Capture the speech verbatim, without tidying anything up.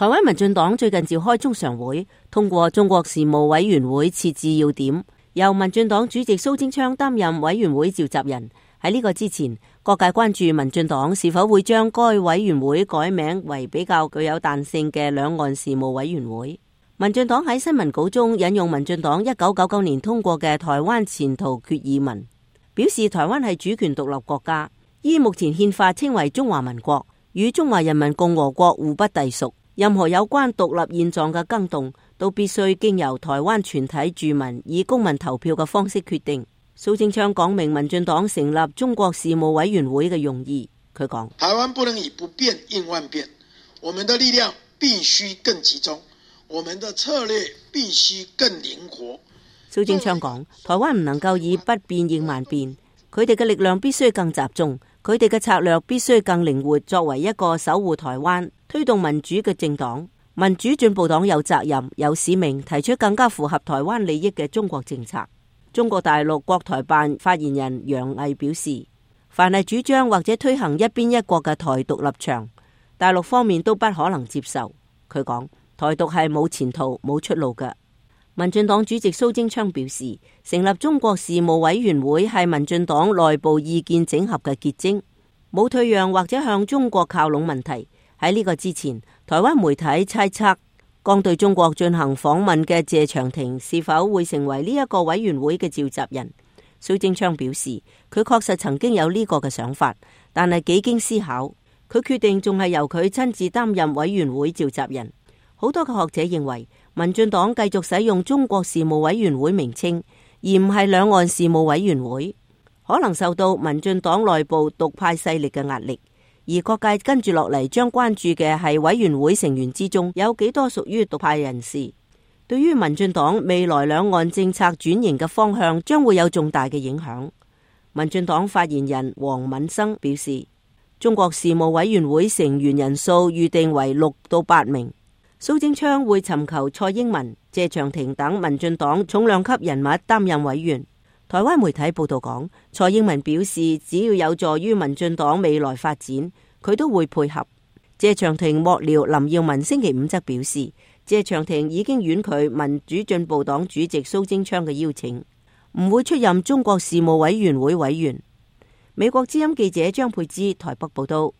台灣民進黨最近召開中常會，通過中國事務委員會設置要點，由民進黨主席蘇貞昌擔任委員會召集人。喺呢個之前，各界關注民進黨是否會將該委員會改名為比較具有彈性嘅兩岸事務委員會。民進黨喺新聞稿中引用民進黨一九九九年通過嘅台灣前途決議文，表示台灣係主權獨立國家，依目前憲法稱為中華民國，與中華人民共和國互不隸屬。任何有關獨立現狀嘅更動，都必須經由台灣全體住民以公民投票嘅方式決定。蘇貞昌講明民進黨成立中國事務委員會嘅用意。佢講：台灣不能以不變應萬變，我們的力量必須更集中，我們的策略必須更靈活。蘇貞昌講：台灣唔能夠以不變應萬變，佢哋嘅力量必須更集中，佢哋嘅策略必須更靈活。作為一個守護台灣、推動民主嘅政黨，民主進步黨有責任、有使命提出更加符合台灣利益嘅中國政策。中國大陸國台辦發言人楊毅表示，凡係主張或者推行一邊一國嘅台獨立場，大陸方面都不可能接受。佢講，台獨係冇前途、冇出路嘅。民進黨主席蘇貞昌表示，成立中國事務委員會係民進黨內部意見整合嘅結晶，冇退讓或者向中國靠攏問題。喺呢個之前，台灣媒體猜測剛對中國進行訪問嘅謝長廷是否會成為呢一個委員會嘅召集人。蘇貞昌表示，佢確實曾經有呢個嘅想法，但係幾經思考，佢決定仲係由佢親自擔任委員會召集人。好多嘅學者認為，民進黨繼續使用中國事務委員會名稱，而唔係兩岸事務委員會，可能受到民進黨內部獨派勢力嘅壓力。而各界跟住落嚟將關注嘅係委員會成員之中有幾多屬於獨派人士，對於民進黨未來兩岸政策轉型嘅方向將會有重大嘅影響。民進黨發言人黃敏生表示，中國事務委員會成員人數預定為六到八名，蘇貞昌會尋求蔡英文、謝長廷等民進黨重量級人物擔任委員。台灣媒體報道講，蔡英文表示只要有助於民進黨未來發展，佢都會配合。謝長廷幕僚林耀文星期五則表示，謝長廷已經婉拒民主進步黨主席蘇貞昌嘅邀請，唔會出任中國事務委員會委員。美國之音記者張佩芝台北報道。